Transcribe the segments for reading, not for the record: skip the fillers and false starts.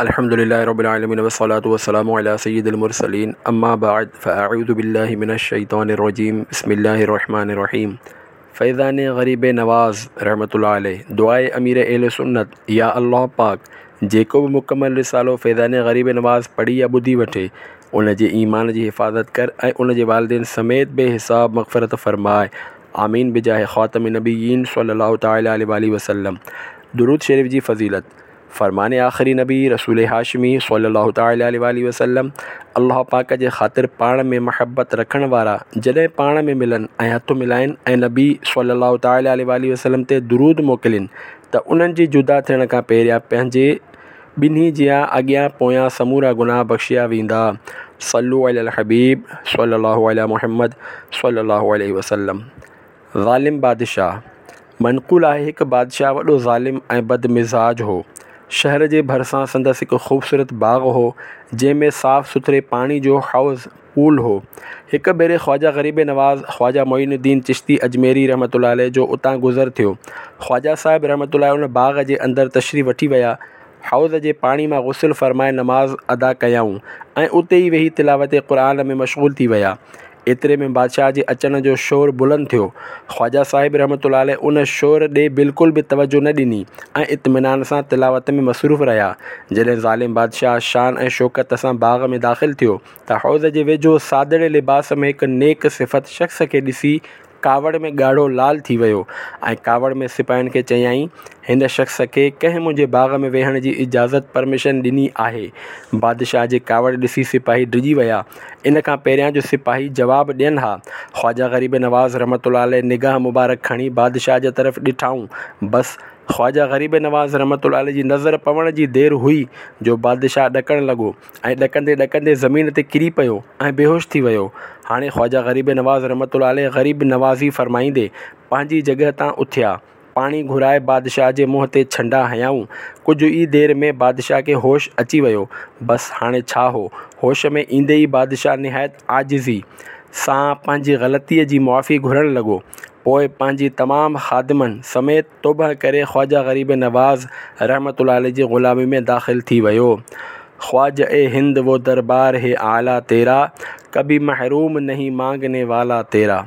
الحمد لله رب العالمين والصلاة والسلام على سيد المرسلين اما بعد فاعوذ بالله من الشيطان الرجيم بسم الله الرحمن الرحيم فيضان غريب نواز رحمة الله عليه دعاء امير اهل سنت يا الله پاڪ جيڪو به مڪمل رسالو فيضان غريب نواز پڙهي يا ٻڌي وٺي ان جي ايمان جي حفاظت ڪر ۽ ان جي والدين سميت بي حساب مغفرت فرماء آمين بجاه خاتم النبيين صلي الله تعالٰي عليه واٰله وسلم درود شريف جي فضيلت فرمان آخري نبي رسول هاشمي صلي الله تعالٰي عليه واٰله وسلم الله پاڪ جي خاطر پاڻ ۾ محبت رکڻ وارا جڏهن پاڻ ۾ ملن ۽ هٿ ملائن ۽ نبي صلي الله تعالٰي عليه واٰله وسلم تي درود موڪلين ته انهن جي جدا ٿيڻ کان پهريان پنهنجي ٻنهي جيان اڳيان پويان سمورا گناهه بخشيا ويندا صلو علي الحبيب صلي الله علي محمد صلي الله عليه وسلم ظالم بادشاهه منقول آهي هڪ بادشاهه وڏو ظالم ۽ بد مزاج هو. شهر جي ڀرسان سندس هڪ خوبصورت باغ هو، جنهن ۾ صاف سٿري پاڻي جو حوض، Pool، هو. هڪ ڀيري خواجه غريب نواز خواجه معين الدين چشتي اجميري رحمة الله عليه جو اتان گذر ٿيو. خواجه صاحب رحمة الله ان باغ جي اندر تشريف وٺي ويا. حوض جي پاڻي مان غسل فرمائي نماز ادا ڪيائون ۽ اتي ئي ويهي تلاوت قرآن ۾ مشغول ٿي ويا. ايتري ۾ بادشاهه جي اچڻ جو شور بلند ٿيو. خواجه صاحب رحمة الله عليه ان شور ڏي بلڪل به توجه نه ڏني ۽ اطمينان سان تلاوت ۾ مصروف رهيا. جڏهن ظالم بادشاهه شان ۽ شوڪت سان باغ ۾ داخل ٿيو ته حوض جي ويجهو سادڙي لباس ۾ هڪ نيڪ صفت شخص کي ڏسي ڪاوڙ ۾ ڳاڙهو لال ٿي ويو ۽ ڪاوڙ ۾ سپاهين کي چيائين، هن شخص کي ڪنهن منهنجي باغ ۾ ويهڻ جي اجازت، Permission، ڏني آهي؟ بادشاهه جي ڪاوڙ ڏسي سپاهي ڊڄي ويا. ان کان پهريان جو سپاهي جواب ڏين ها، خواجه غريب نواز رحمة الله عليه نگاهه مبارڪ کڻي بادشاهه جي طرف ڏٺائون. بس! خواجه غريب نواز رحمة الله عليه جي نظر پوڻ جي دير هئي جو بادشاهه ڏڪڻ لڳو. ۽ ڏڪندي ڏڪندي زمين تي ڪري پيو ۽ بيهوش ٿي ويو. هاڻي خواجه غريب نواز رحمة الله عليه غريب نوازي فرمائيندي پنهنجي جڳهه تان اٿيا. پاڻي گهرائي بادشاهه جي منهن تي ڇنڊا هنيائون. ڪجهه ئي دير ۾ بادشاهه کي هوش اچي ويو. بس هاڻي ڇا هو. هوش ۾ ايندي ئي بادشاهه نهايت عاجزي سان پنهنجي غلطيء جي معافي گهرڻ لڳو. پوء پنهنجي تمام خادمن سميت توبه ڪري خواجه غريب نواز رحمة الله عليه جي غلامي ۾ داخل ٿي ويو. خواجه اي هند وو دربار هي اعليٰ تيرا، ڪڀي محروم نهين مانگني والا تيرا.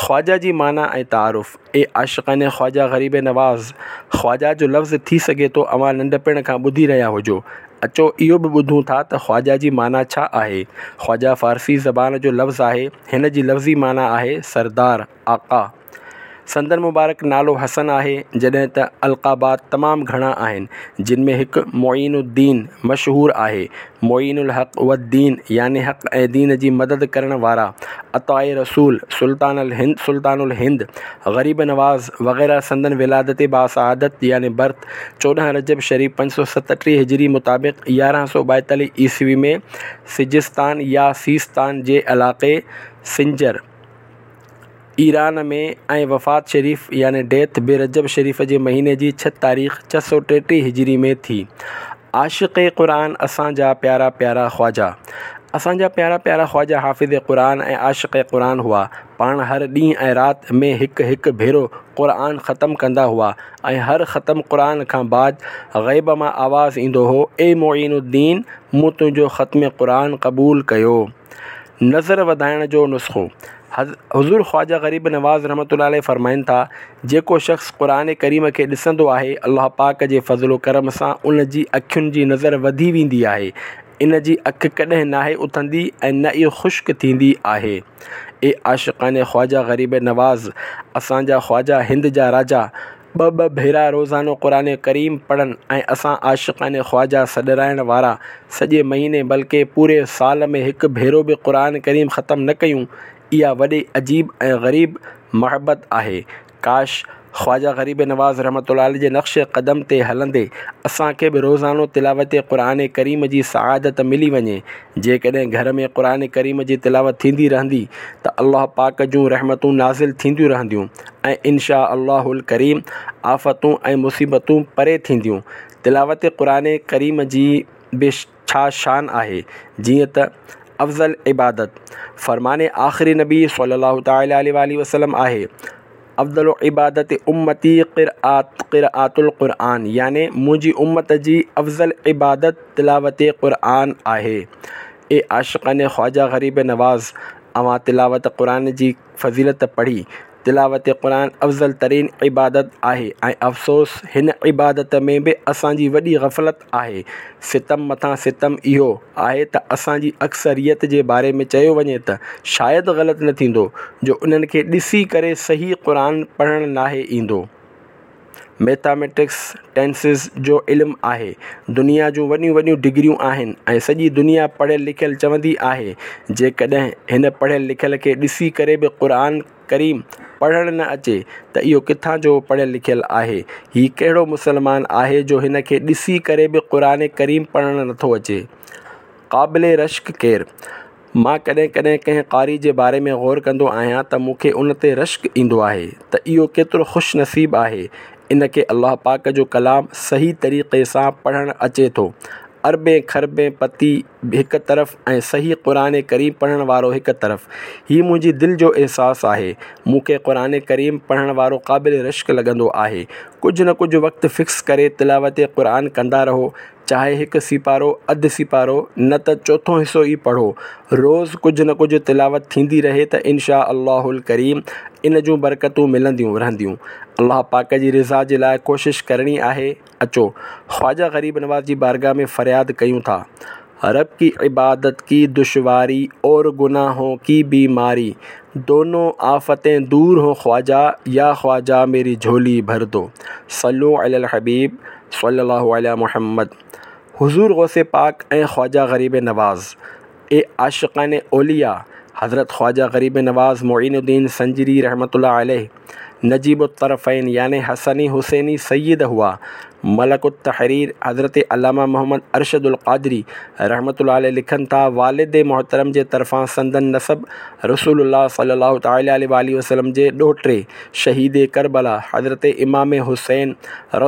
خواجه جي معنيٰ ۽ تعارف، اي عاشقان خواجه غريب نواز! خواجه جو لفظ ٿي سگهي ٿو اوهان ننڍپڻ کان ٻڌي رهيا هجو. اچو اهو به ٻڌون ٿا ته خواجه جي معنيٰ ڇا آهي. خواجه فارسي زبان جو لفظ آهي. هن جي لفظي معنيٰ آهي سردار، آقا. سندن مبارڪ نالو حسن آهي، جڏهن ته القابات تمام گهڻا آهن، جن ۾ هڪ معين الدين مشهور آهي. معين الحق والدين يعني حق ۽ دين جي مدد ڪرڻ وارا، عطاء رسول، سلطان الهند سلطان الهند، غريب نواز وغيره سندن ولادت باسعادت يعني Birth 14 رجب شريف 537 هجري مطابق 1142 عيسوي ۾ سجستان يا سيستان جي علاقي سنجر، ايران ۾ ۽ وفات شريف يعني Death به رجب شريف جي مهيني جي ڇهه تاريخ 633 هجري ۾ ٿي. عاشق قرآن اسان جا پيارا پيارا خواجه اسان جا پيارا پيارا خواجه حافظ قرآن ۽ عاشق قرآن هئا. پاڻ هر ڏينهن ۽ رات ۾ هڪ هڪ ڀيرو قرآن ختم ڪندا هئا ۽ هر ختم قرآن کان بعد غيب مان آواز ايندو هو اي معين الدين مون تنهنجو ختم قرآن قبول ڪيو. نظر وڌائڻ جو نسخو، حضور خواجه غريب نواز رحمة الله عليه فرمائن ٿا، جيڪو شخص قرآن ڪريم کي ڏسندو آهي، الله پاڪ جي فضل و ڪرم سان ان جي اکين جي نظر وڌي ويندي آهي، ان جي اک ڪڏهن ناهي اٿندي ۽ نه ئي خشڪ ٿيندي آهي. اي عاشقان خواجه غريب نواز! اسان جا خواجه هند جا راجا، ٻه ٻه ڀيرا روزانو قرآن ڪريم پڙهن ۽ اسان عاشقان خواجه سڏرائڻ وارا سڄي مهيني بلڪه پوري سال ۾ هڪ ڀيرو به قرآن ڪريم ختم نه ڪيون اها وڏي عجيب ۽ غريب محبت آهي ڪاش خواجه غريب نواز رحمة الله عليه جي نقش قدم تي هلندي اسان کي به روزانو تلاوت قرآن ڪريم جي سعادت ملي وڃي جيڪڏهن گهر ۾ قرآن ڪريم جي تلاوت ٿيندي رهندي ته الله پاڪ جون رحمتون نازل ٿينديون رهنديون ۽ ان شآء الله الڪريم آفتون ۽ مصيبتون پري ٿينديون. تلاوت قرآن ڪريم جي به ڇا شان آهي، جيئن ته افضل عبادت فرمان آخري نبي صلي الله تعالٰي عليه واٰله وسلم آهي. افضل عبادت امتي قرآت قراءة القرآن يعني منهنجي امت جي افضل عبادت تلاوت قرآن آهي. اي عاشقان خواجه غريب نواز! اوهان تلاوت قرآن جي فضيلت پڙهي. تلاوت قرآن افضل ترين عبادت آهي ۽ افسوس هن عبادت ۾ به اسان جي وڏي غفلت آهي. ستم مٿان ستم اهو آهي ته اسان جي اڪثريت جي باري ۾ چيو وڃي ته شايد غلط نه ٿيندو جو انهن کي ڏسي ڪري صحيح قرآن پڙهڻ ناهي ايندو. ميٿاميٽڪس، ٽينسز جو علم آهي. دنيا جون وڏيون وڏيون ڊگريون آهن ۽ سڄي دنيا پڙهيل لکيل چوندي آهي. جيڪڏهن هن پڙهيل لکيل کي ڏسي ڪري به قرآن ڪريم پڙهڻ نه اچي ته اهو ڪٿان جو پڙهيل لکيل آهي؟ هي ڪهڙو مسلمان آهي جو هن کي ڏسي ڪري به قرآن ڪريم پڙهڻ نٿو اچي؟ قابل رشڪ ڪير؟ مان ڪڏهن ڪڏهن ڪنهن قاري جي باري ۾ غور ڪندو آهيان ته مون کي ان تي رشڪ ايندو آهي ته اهو ڪيترو خوش نصيب آهي ان کي الله پاڪ جو ڪلام صحيح طريقي سان پڙهڻ اچي ٿو. اربين کربين پتي هڪ طرف ۽ صحيح قرآن ڪريم پڙهڻ وارو هڪ طرف. هي منهنجي دل جو احساس آهي. مون کي قرآن ڪريم پڙهڻ وارو قابل رشڪ لڳندو آهي. ڪجهه نه ڪجهه وقت فڪس ڪري تلاوت قرآن ڪندا رهو. چاهي هڪ سيپارو، اڌ سيپارو، نه ته چوٿون حصو ئي پڙهو. روز ڪجهه نه ڪجهه تلاوت ٿيندي رهي ته ان شآء الله الڪريم ان جون برڪتون ملنديون رهنديون. الله پاڪ جي رضا جي لاء ڪوشش ڪرڻي آهي. اچو! خواجه غريب نواز جي بارگاھ ۾ فرياد ڪيون ٿا. رب ڪي عبادت ڪي دشواري اور گناهون ڪي بيماري دونون آفتين دور هون خواجه يا خواجه ميري جهولي ڀر دو صلو علي الحبيب صلي الله علي محمد حضور غوث پاڪ ۽ خواجه غريب نواز اي عاشقان اولياء حضرت خواجه غريب نواز معين الدين سنجري رحمة الله عليه نجيب الطرفين يعني حسني حسيني سيد هئا. ملڪ التحرير حضرت علامه محمد ارشد القادري رحمة الله عليه لکن ٿا، والد محترم جي طرفان سندن نسب رسول الله صلي الله تعالٰي عليه واٰله وسلم جي ڏوهٽي شهيد ڪربلا حضرت امام حسين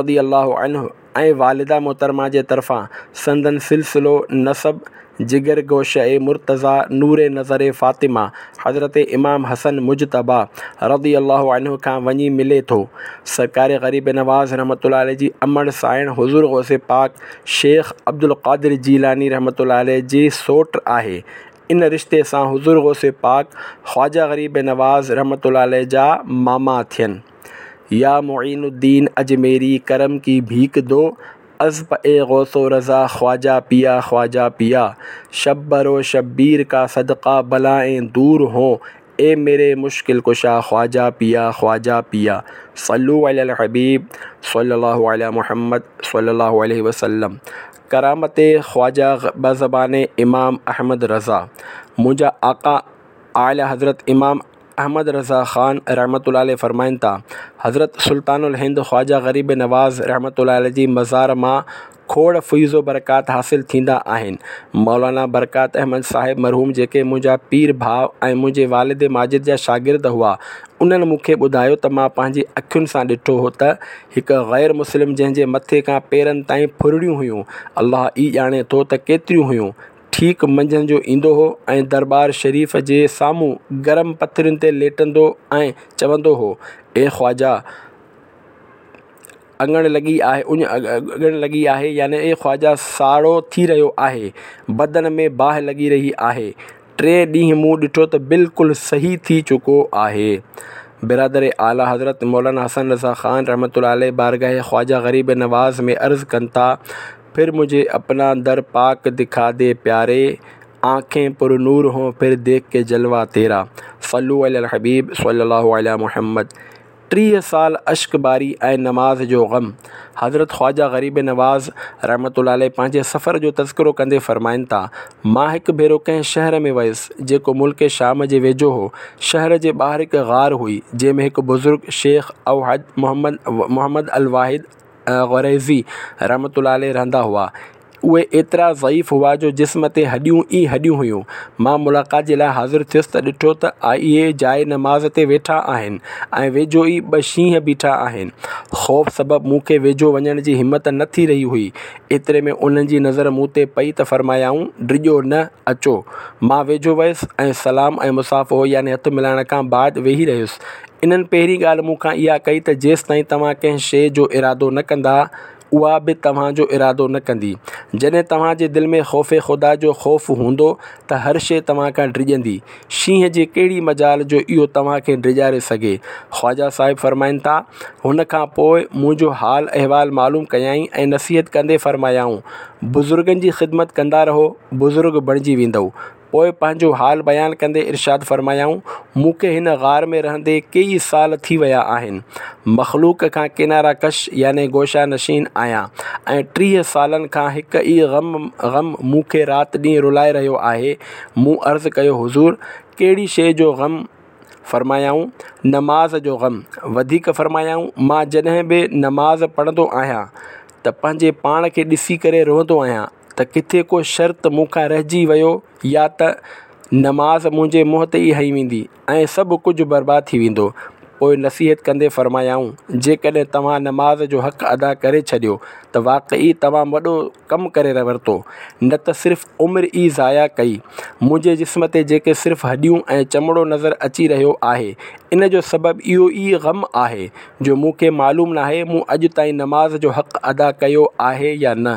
رضي الله عنه ۽ والده محترمه جي طرفان سندن سلسلو نسب جگر گوشه مرتضيٰ نور نظر فاطمه حضرت امام حسن مجتبيٰ رضي الله عنه کان وڃي ملي ٿو. سرڪار غريب نواز رحمة الله عليه جي امڙ سانئڻ حضور غوث پاڪ شيخ عبدالقادر جيلاني رحمة الله عليه جي سوٽ آهي. ان رشتي سان حضور غوث پاڪ خواجه غريب نواز رحمة الله عليه جا ماما ٿين. يا معين الدين اجميري ڪرم ڪي ڀيڪ دو از پئي غوث و رضا خواجه پيا خواجه پيا شبر و شبير ڪا صدقه بلائين دور هون اي ميري مشڪل ڪشا خواجه پيا خواجه پيا صلو علي الحبيب صلي الله علي محمد صلي الله عليه وسلم ڪرامت خواجه بزبان امام احمد رضا منهنجا آقا اعلي حضرت امام احمد رضا خان رحمة الله عليه فرمائن ٿا، حضرت سلطان الهند خواجه غريب نواز رحمة الله عليه جي مزار مان کوڙ فيض و برڪات حاصل ٿيندا آهن. مولانا برڪات احمد صاحب مرحوم جيڪي منهنجا پير ڀاء ۽ منهنجي والد ماجد جا شاگرد هئا، انهن مون کي ٻڌايو ته مان پنهنجي اکين سان ڏٺو هو ته هڪ غير مسلم جنهن جي مٿي کان پيرن تائين ڦرڙيون هيون، الله ئي ڄاڻي ٿو ته ڪيتريون هيون، ٺيڪ منجهند جو ايندو هو ۽ درٻار شريف جي سامهون گرم پٿرين تي ليٽندو ۽ چوندو هو، اي خواجه! اڱڻ لڳي آهي اڃ اڳڻ لڳي آهي يعني اي خواجه ساڙو ٿي رهيو آهي، بدن ۾ باهه لڳي رهي آهي. ٽئين ڏينهن مون ڏٺو ته بلڪل صحيح ٿي چڪو آهي. برادر اعليٰ حضرت مولانا حسن رضا خان رحمة الله عليه بارگاهه خواجه غريب نواز ۾ عرض ڪن ٿا، پھر مجھي اپنا در پاڪ دکا the پياري، آنکين پر نور هون پھر ديک ڪي جلوه تيرا. صلو علي الحبيب صلي الله علي محمد. 30 سال اشڪباري ۽ نماز جو غم. حضرت خواجه غريب نواز رحمة الله عليه پنهنجي سفر جو تذڪرو ڪندي فرمائن ٿا، مان هڪ ڀيرو ڪنهن شهر ۾ ويس، جيڪو ملڪ شام جي ويجهو هو. شهر جي ٻاهر هڪ غار هئي، جنهن ۾ هڪ بزرگ شيخ اوحد محمد محمد الواحد غريزي رحمة الله عليه رهندا هئا. اهي ايترا ضعيف هئا جو جسم تي هڏيون ئي هڏيون هيون. مان ملاقات جي لاء حاضر ٿيس ته ڏٺو ته اهي جاء نماز تي ويٺا آهن ۽ ويجهو ئي ٻه شينهن بيٺا آهن. خوف سبب مون کي ويجهو وڃڻ جي همت نه ٿي رهي هئي. ايتري ۾ انهن جي نظر مون تي پئي ته فرمايائون، ڊڄو نه، اچو. مان ويجهو ويس ۽ سلام ۽ مصافحو يعني هٿ ملائڻ کان بعد ويهي رهيس. انهن پهرين ڳالهه مون کان اها ڪئي ته جيستائين توهان ڪنهن شيء جو ارادو نه ڪندا، اها به توهان جو ارادو نه ڪندي. جڏهن توهان جي دل ۾ خوف خدا جو خوف هوندو ته هر شيء توهان کان ڊڄندي. شينهن جي ڪهڙي مجال جو اهو توهان کي ڊيڄاري سگهي. خواجه صاحب فرمائن ٿا، هن کان پوء منهنجو حال احوال معلوم ڪيائين ۽ نصيحت ڪندي فرمايائون، بزرگن جي خدمت ڪندا رهو، بزرگ بڻجي ويندؤ. پوء پنهنجو حال بيان ڪندي ارشاد فرمايائون، مون کي هن غار ۾ رهندي ڪيئي سال ٿي ويا آهن. مخلوق کان ڪناره ڪش يعني گوشه نشين آهيان ۽ 30 سالن کان هڪ ئي غم غم مون کي رات ڏينهن رلائي رهيو آهي. مون عرض ڪيو، حضور! ڪهڙي شيء جو غم؟ فرمايائون، نماز جو غم. وڌيڪ فرمايائون، مان جڏهن به نماز پڙهندو آهيان ته پنهنجي پاڻ کي ڏسي ڪري روئندو آهيان ته ڪٿي ڪو شرط مون کان رهجي ويو يا ته نماز منهنجي منهن تي ئي هنئي ويندي ۽ سڀ ڪجهه برباد ٿي ويندو. پوء نصيحت ڪندي فرمايائون، جيڪڏهن توهان نماز جو حق ادا ڪري ڇڏيو ته واقعي توهان وڏو ڪم ڪري ورتو، نه ته صرف عمر ئي ضايع ڪئي. منهنجي جسم تي جيڪي صرف هڏيون ۽ چمڙو نظر اچي رهيو آهي، ان جو سبب اهو ئي غم آهي جو مون کي معلوم ناهي مون اڄ تائين نماز جو حق ادا ڪيو آهي يا نه.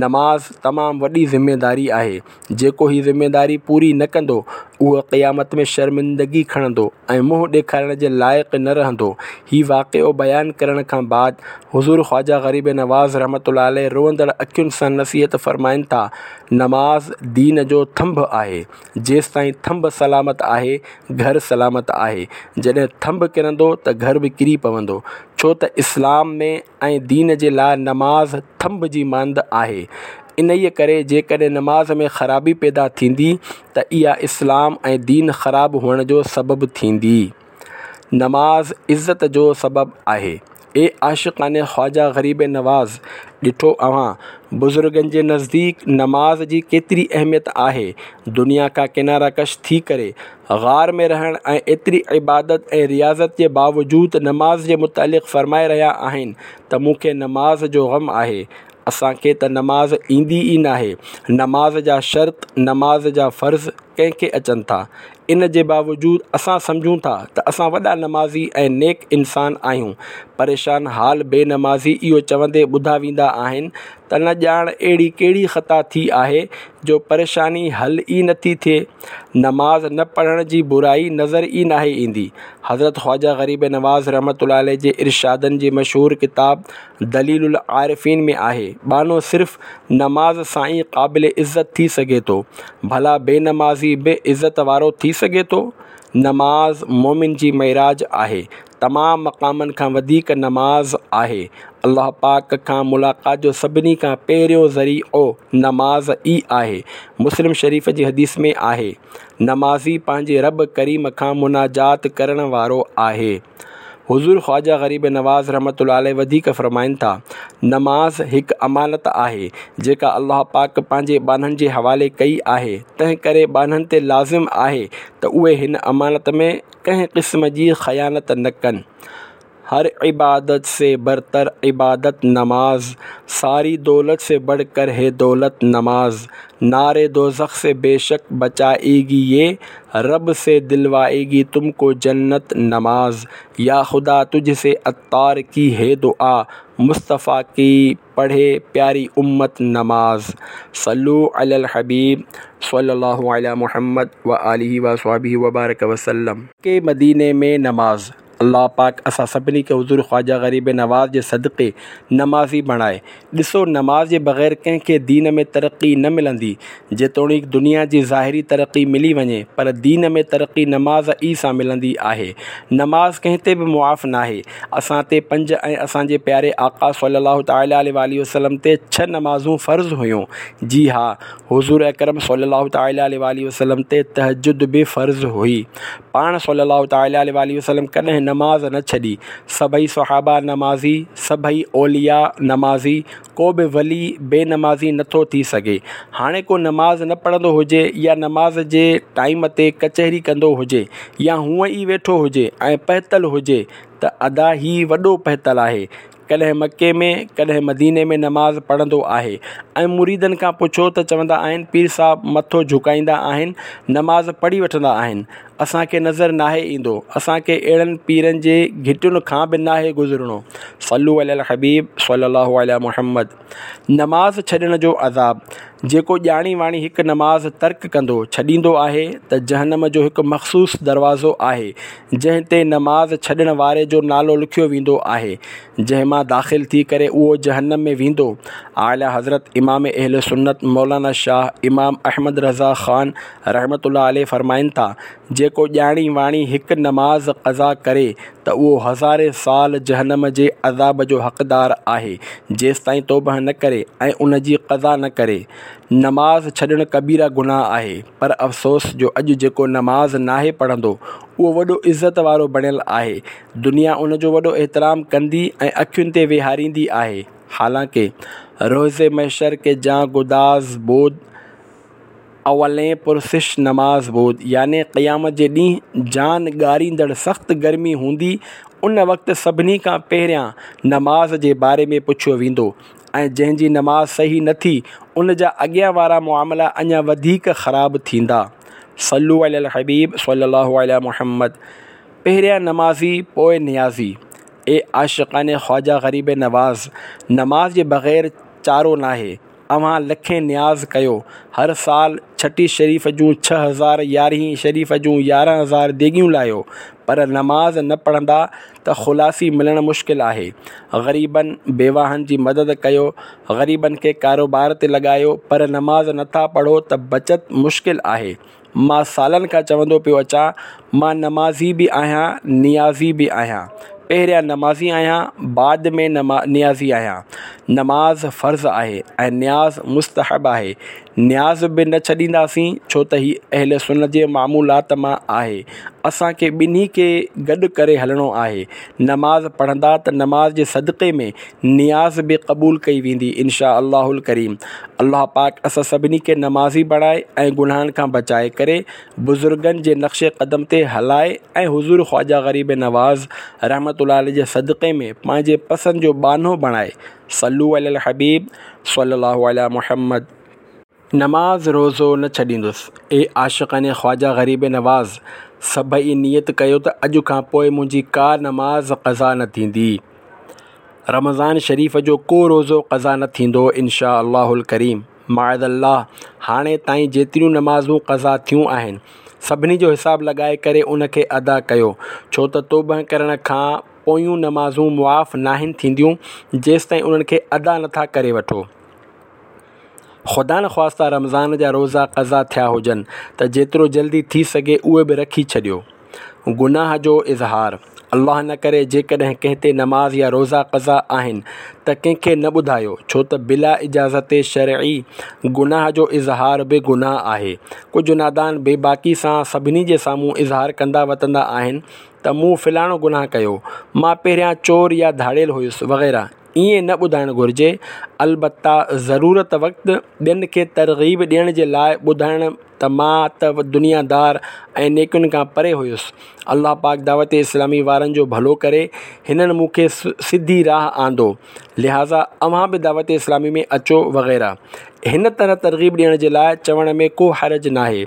نماز تمام وڏي ذميداري آهي. جيڪو هي ذميداري پوري نه ڪندو، اهو قيامت ۾ شرمندگي کڻندو ۽ منهن ڏيکارڻ جي لائق نه رهندو. هي واقعو بيان ڪرڻ کان بعد حضور خواجه غريب نواز رحمة الله عليه روئندڙ اکين سان نصيحت فرمائن ٿا، نماز دين جو ٿنڀ آهي، جيستائين ٿنڀ سلامت آهي، گهر سلامت آهي، جڏهن ٿنڀ ڪرندو ته گهر به ڪري پوندو، ڇو ته اسلام ۾ ۽ دين جي لاء نماز ٿنڀ جي مانند آهي. انهيء ڪري جيڪڏهن نماز ۾ خرابي پيدا ٿيندي ته اها اسلام ۽ دين خراب هئڻ جو سبب ٿيندي. نماز عزت جو سبب آهي. اي عاشقان خواجه غريب نواز! ڏٺو اوهان بزرگن جي نزديڪ نماز جي ڪيتري اهميت آهي. دنيا کان ڪناره ڪش ٿي ڪري غار ۾ رهڻ ۽ ايتري عبادت ۽ رياضت جي باوجود نماز جي متعلق فرمائي رهيا آهن ته مون کي نماز جو غم آهي. اسان کي ته نماز ايندي ئي ناهي. نماز جا شرط، نماز جا فرض ڪنهن کي اچن ٿا؟ ان جي باوجود اسان سمجهون ٿا ته اسان وڏا نمازي ۽ نيڪ انسان آهيون. پريشان حال بي نمازي اهو چوندي ٻڌا ويندا آهن ته نه ڄاڻ اهڙي ڪهڙي خطا ٿي آهي جو پريشاني حل ئي نٿي ٿئي. نماز نه پڙهڻ جي برائي نظر ئي ناهي ايندي. حضرت خواجه غريب نواز رحمة الله عليه جي ارشادن جي مشهور ڪتاب دليل العارفين ۾ آهي، ٻانهو صرف نماز سان ئي قابل عزت ٿي سگهي ٿو، ڀلا بي نمازي به عزت وارو ٿي سگهي ٿو؟ نماز مومن جي معراج آهي، تمام مقامن کان وڌيڪ نماز آهي، الله پاڪ کان ملاقات جو سڀني کان پهريون ذريعو نماز ئي آهي، مسلم شريف جي حديث ۾ آهي، نمازي پنهنجي رب ڪريم کان مناجات ڪرڻ وارو آهي. حضور خواجه غريب نواز رحمة الله عليه وڌيڪ فرمائن ٿا، نماز هڪ امانت آهي، جيڪا الله پاڪ پنهنجي ٻانهن جي حوالي ڪئي آهي، تنهن ڪري ٻانهن تي لازم آهي ته اهي هن امانت ۾ ڪنهن قسم جي خيانت نه ڪن. هر عبادت سي برتر عبادت نماز، ساري دولت سي بڙه ڪر هي دولت نماز، نار دوزخ سي بيشڪ بچائيگي يه رب سي دلوائيگي تم ڪو جنت نماز، يا خدا تجھ سي عطار ڪي هي دعا، مصطفيٰ ڪي پڙهي پياري امت نماز، صلو علي الحبيب صلي الله علي محمد وآله واصحابه وبارڪ وسلم. مڪي مديني ۾ نماز. الله پاڪ اسان سڀني کي حضور خواجه غريب نواز جي صدقي نمازي بڻائي. ڏسو نماز جي بغير ڪنهن کي دين ۾ ترقي نه ملندي. جيتوڻيڪ دنيا جي ظاهري ترقي ملي وڃي پر دين ۾ ترقي نماز ئي سان ملندي آهي. نماز ڪنهن تي به معاف ناهي. اسان تي پنج ۽ اسان جي پياري آقا صلي الله تعالٰي عليه واٰله وسلم تي ڇهه نمازون فرض هيون. جي ها حضور اڪرم صلي الله تعالٰي عليه واٰله وسلم تي تهجد به فرض هئي. پاڻ صلّي اللّٰه تعالٰي عليه واٰله وسلّم ڪڏهن نماز نه ڇڏي. سڀئي صحابه نمازي، سڀئي اولياء نمازي، ڪو به ولي بي نمازي نٿو ٿي سگهي. هاڻي ڪو نماز نه پڙهندو هجي يا نماز جي ٽائيم تي ڪچهري ڪندو هجي يا هونئن ئي ويٺو هجي ۽ پهتل هجي ته ادا هي وڏو پهتل آهي. ڪڏهن مڪي ۾ ڪڏهن مديني ۾ نماز پڙهندو آهي ۽ مريدن کان پڇو ته چوندا آهن پير صاحب مٿو جهڪائيندا آهن نماز پڙهي وٺندا آهن اسان کي نظر ناهي ايندو اسان کي اهڙن پيرن جي گهٽين کان به ناهي گذرڻو صلو علي الحبيب صلي الله علي محمد نماز ڇڏڻ جو عذاب جيڪو ڄاڻي واڻي هڪ نماز ترڪ ڪندو، ڇڏيندو، آهي ته جهنم جو هڪ مخصوص دروازو آهي جنهن تي نماز ڇڏڻ واري جو نالو لکيو ويندو آهي جنهن مان داخل ٿي ڪري اهو جهنم ۾ ويندو. اعليٰ حضرت امام اهل سنت مولانا شاهه امام احمد رضا خان رحمة الله عليه فرمائن ٿا، جيڪو ڄاڻي واڻي هڪ نماز قضا ڪري ته اهو هزارين سال جهنم جي عذاب جو حقدار آهي جيستائين توبهه نه ڪري ۽ ان جي قضا نه ڪري. نماز ڇڏڻ ڪبيره گناهه آهي پر افسوس جو اڄ جيڪو نماز ناهي پڙهندو اهو وڏو عزت وارو بڻيل آهي دنيا ان جو وڏو احترام ڪندي ۽ اکين تي ويهاريندي آهي حالانڪه روز محشر ڪه جان گداز بود اولين پرسش نماز بود يعني قيامت جي ڏينهن جان ڳاريندڙ سخت گرمي هوندي ان وقت سڀني کان پهريان نماز جي باري ۾ پڇيو ويندو ۽ جنهن جي نماز صحيح نه ٿي ان جا اڳيان وارا معاملا اڃا وڌيڪ خراب ٿيندا. صلو علي الحبيب صلي الله عليه محمد پهريان نمازي پوء نيازي اي عاشقان خواجه غريب نواز نماز جي بغير چارو ناهي اوهان لکين نياز ڪيو، هر سال ڇٺي شريف جون 6000 يارهين شريف جون 11000 ديڳيون لاهيو، پر نماز نه پڙهندا ته خلاصي ملڻ مشڪل آهي. غريبن، بيواهن جي مدد ڪيو، غريبن کي ڪاروبار تي لڳايو، پر نماز نٿا پڙهو ته بچت مشڪل آهي. مان سالن کان چوندو پيو اچان، مان نمازي به آهيان، نيازي به آهيان. پهريان نمازي آهيان، بعد ۾ نيازي آهيان. نماز فرض آهي ۽ نياز مستحب آهي. نياز به نه ڇڏينداسين، ڇو ته هي اهل سنت جي معمولات مان آهي. اسان کي ٻنهي کي گڏ ڪري هلڻو آهي. نماز پڙهندا ته نماز جي صدقي ۾ نياز به قبول ڪئي ويندي ان شاء الله الڪريم. الله پاڪ اسان سڀني کي نمازي بڻائي ۽ گناهن کان بچائي ڪري بزرگن جي نقش قدم تي هلائي ۽ حضور خواجه غريب نواز رحمة الله عليه جي صدقي ۾ پنهنجي پسند جو ٻانهو بڻائي صلو علي الحبيب صلي الله علي محمد. نماز روزو نه ڇڏيندس. اي عاشقان خواجه غريب نواز! سڀئي نيت ڪيو ته اڄ کان پوء منهنجي ڪا نماز قضا نه ٿيندي. رمضان شريف جو ڪو روزو قضا نه ٿيندو ان شاء الله الڪريم. معاذ الله هاڻي تائين جيتريون نمازون قضا ٿيون آهن سڀني جو حساب لڳائي ڪري ان کي ادا ڪيو ڇو ته توبه ڪرڻ کان پويون نمازون معاف ناهن ٿينديون جيستائين انهن کي ادا نٿا ڪري وٺو. خدانخواسته رمضان جا روزا قضا ٿيا هجن ته جيترو جلدي ٿي سگهي اهي به رکي ڇڏيو. گناهه جو اظهار، الله نه ڪري جيڪڏهن ڪنهن تي نماز يا روزا قضا آهن ته ڪنهن کي نه ٻڌايو ڇو ته بلا اجازت شرعي گناهه جو اظهار به گناهه آهي. ڪجهه نادان بي باڪي سان سڀني جي سامهون اظهار ڪندا وتندا آهن ته مون فلاڻو گناهه ڪيو، مان پهريان چور يا ڌاڙيل هيس وغيره. ائين نه ٻڌائڻ گهرجي، البته ضرورت وقت ٻين کي ترغيب ڏيڻ جي لاء ٻڌائڻ ته مان ته دنيا دار ۽ نيڪين کان پري هيس، الله پاڪ دعوت اسلامي وارن جو ڀلو ڪري هنن مون کي سڌي راهه آندو، لهٰذا اوهان به دعوت اسلامي ۾ اچو وغيره. هن طرح ترغيب ڏيڻ جي لاء چوڻ ۾ ڪو حرج ناهي.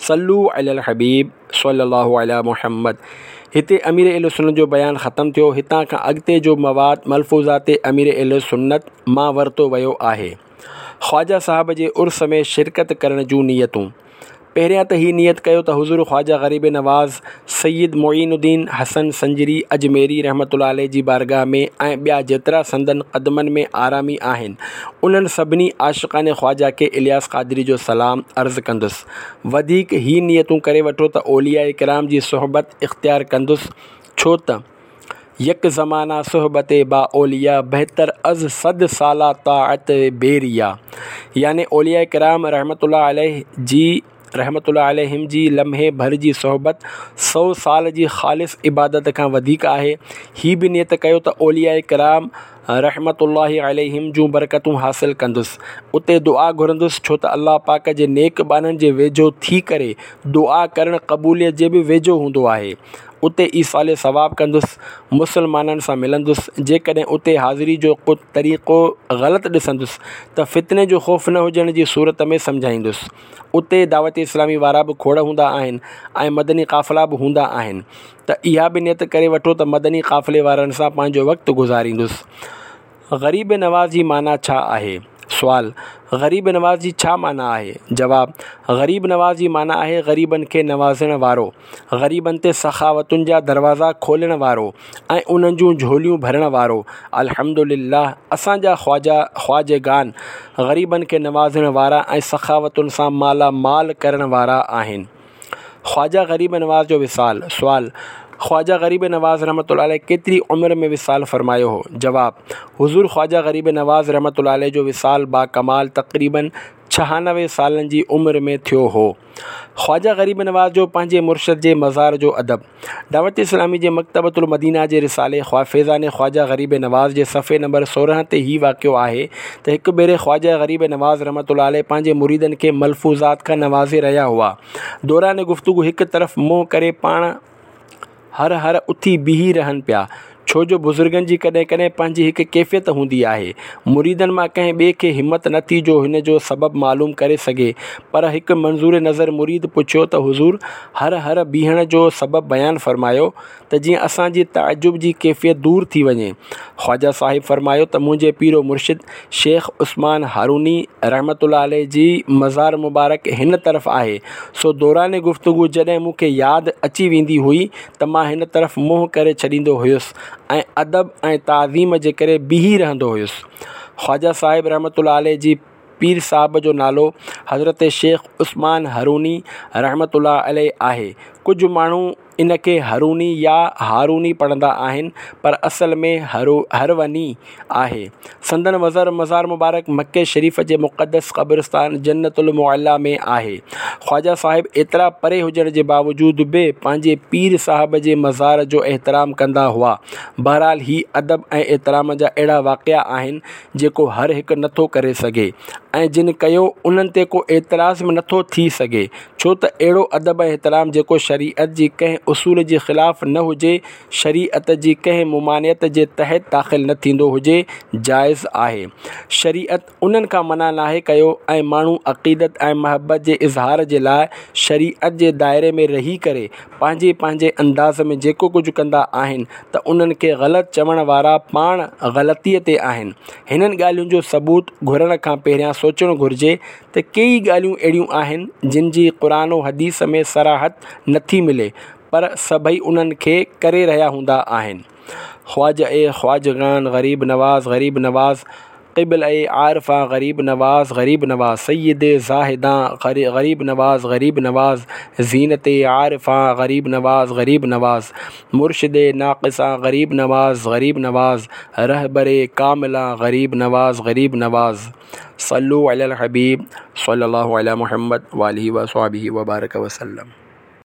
صلو علي الحبيب صلي الله علي محمد هتي امير اهل سنت جو بيان ختم ٿيو هتان کان اڳتي جو مواد ملفوظات امير اهل سنت مان ورتو ويو آهي خواجه صاحب جي عرس ۾ شرڪت ڪرڻ جون نيتون پهريان ته هي نيت ڪيو ته حضور خواجه غريب نواز سيد معين الدين حسن سنجري اجميري رحمة الله عليه جي بارگاهه ۾ ۽ ٻيا جيترا سندن قدمن ۾ آرامي آهن، انهن سڀني عاشقان خواجه کي الياس قادري جو سلام عرض ڪندس. وڌيڪ هي نيتون ڪري وٺو ته اولياء ڪرام جي صحبت اختيار ڪندس، ڇو ته يڪ زمانه صحبت با اولياء بهتر از صد ساله طاعت بي ريا يعني اولياء ڪرام رحمة الله عليه جي. رحمة الله عليهم جي لمحي ڀر جي صحبت سو سال جي خالص عبادت کان وڌيڪ آهي. هي به نيت ڪيو ته اولياء ڪرام رحمة الله عليهم جون برڪتون حاصل ڪندس، اتي دعا گهرندس ڇو ته الله پاڪ جي نيڪ ٻانهن جي ويجهو ٿي ڪري دعا ڪرڻ قبوليت جي به ويجهو هوندو آهي. اتي ايصال ثواب ڪندس، مسلمانن سان ملندس، جيڪڏهن اتي حاضري جو ڪو طريقو غلط ڏسندس ته فتني جو خوف نه هجڻ جي صورت ۾ سمجهائيندس. اتي دعوت اسلامي وارا به کوڙ هوندا آهن ۽ مدني قافلا به هوندا آهن ته اها به نيت ڪري وٺو ته مدني قافلي وارن سان پنهنجو وقت گذاريندس. غريب نواز جي معنيٰ ڇا آهي؟ سوال، غريب نواز جي ڇا معنيٰ آهي؟ جواب، غريب نواز جي معنيٰ آهي غريبن کي نوازڻ وارو، غريبن تي سخاوتن جا دروازا کولڻ وارو ۽ انهن جون جهوليون ڀرڻ وارو. الحمد لله اسان جا خواجا خواجگان غريبن کي نوازڻ وارا ۽ سخاوتن سان مالا مال ڪرڻ وارا آهن. خواجه غريب نواز جو وصال، سوال، خواجه غريب نواز رحمة الله عليه ڪيتري عمر ۾ وصال فرمايو هو؟ جواب، حضور خواجه غريب نواز رحمة الله عليه جو وصال باڪمال تقريباً 96 سالن جي عمر ۾ ٿيو هو. خواجه غريب نواز جو پنهنجي مرشد جي مزار جو ادب. دعوت اسلامي جي مڪتبة المدينه جي رسالي فيضان خواجه غريب نواز جي صفحي نمبر 16 تي هي واقعو آهي ته هڪ ڀيري خواجه غريب نواز رحمة الله عليه پنهنجي مريدن کي ملفوظات کان نوازي رهيا هئا. دوران گفتگو هڪ طرف منهن ڪري پاڻ هر هر اٿي بيهي رهن پيا، ڇو جو بزرگن جي ڪڏهن ڪڏهن پنهنجي هڪ ڪيفيت هوندي آهي. مريدن مان ڪنهن ٻئي کي همت نه ٿي جو هن جو سبب معلوم ڪري سگهي، پر هڪ منظور نظر مريد پڇيو ته حضور هر هر بيهڻ جو سبب بيان فرمايو ته جيئن اسان جي تعجب جي ڪيفيت دور ٿي وڃي. خواجه صاحب فرمايو ته منهنجي پير و مرشد شيخ عثمان هاروني رحمة الله عليه جي مزار مبارڪ هن طرف آهي، سو دوران گفتگو جڏهن مون کي ياد اچي ويندي هئي ته مان هن طرف منهن ڪري ڇڏيندو هيس ۽ ادب ۽ تعظيم جي ڪري بيهي رهندو هيس. خواجه صاحب رحمة الله عليه جي پير صاحب جو نالو حضرت شيخ عثمان هاروني رحمة الله عليه آهي. ڪجهه ماڻهو ان کي هروني يا هاروني پڙهندا آهن پر اصل ۾ هروني آهي. سندن مزار مبارڪ مڪي شريف جي مقدس قبرستان جنت المعليٰ ۾ آهي. خواجه صاحب ايترا پري هجڻ جي باوجود به پنهنجي پير صاحب جي مزار جو احترام ڪندا هئا. بهرحال هي ادب ۽ احترام جا اهڙا واقعا آهن جيڪو هر هڪ نٿو ڪري سگهي ۽ جن ڪيو انهن تي ڪو اعتراض به نٿو ٿي سگهي ڇو ته اهڙو ادب ۽ احترام جيڪو شريعت جي ڪنهن اصول جي خلاف نه هجي شريعت جي ڪنهن ممانعت جي تحت داخل نه ٿيندو هجي جائز آهي شريعت انهن کان منع ناهي ڪيو ۽ ماڻهو عقيدت ۽ محبت جي اظهار جي لاء شريعت جي دائري ۾ رهي ڪري پنهنجي پنهنجي انداز ۾ جيڪو ڪجهه ڪندا آهن ته انهن کي غلط چوڻ وارا پاڻ غلطيء تي آهن. هنن ڳالهين جو ثبوت گهرڻ کان پهريان سوچڻ گهرجي ته ڪيئي ڳالهيون اهڙيون آهن جن جي قرآن و حديث ۾ صراحت نٿي ملي پر سڀئي انهن کي ڪري رهيا هوندا آهن. خواجه خواجگان غريب نواز غريب نواز قبله عارفان غريب نواز غريب نواز سيد زاهدان غريب نواز غريب نواز زينت عارفان غريب نواز غريب نواز مرشد ناقصان غريب نواز غريب نواز رهبر ڪاملان غريب نواز غريب نواز صلو علي الحبيب صلي الله علي محمد واله وصحبه وبارك وسلم.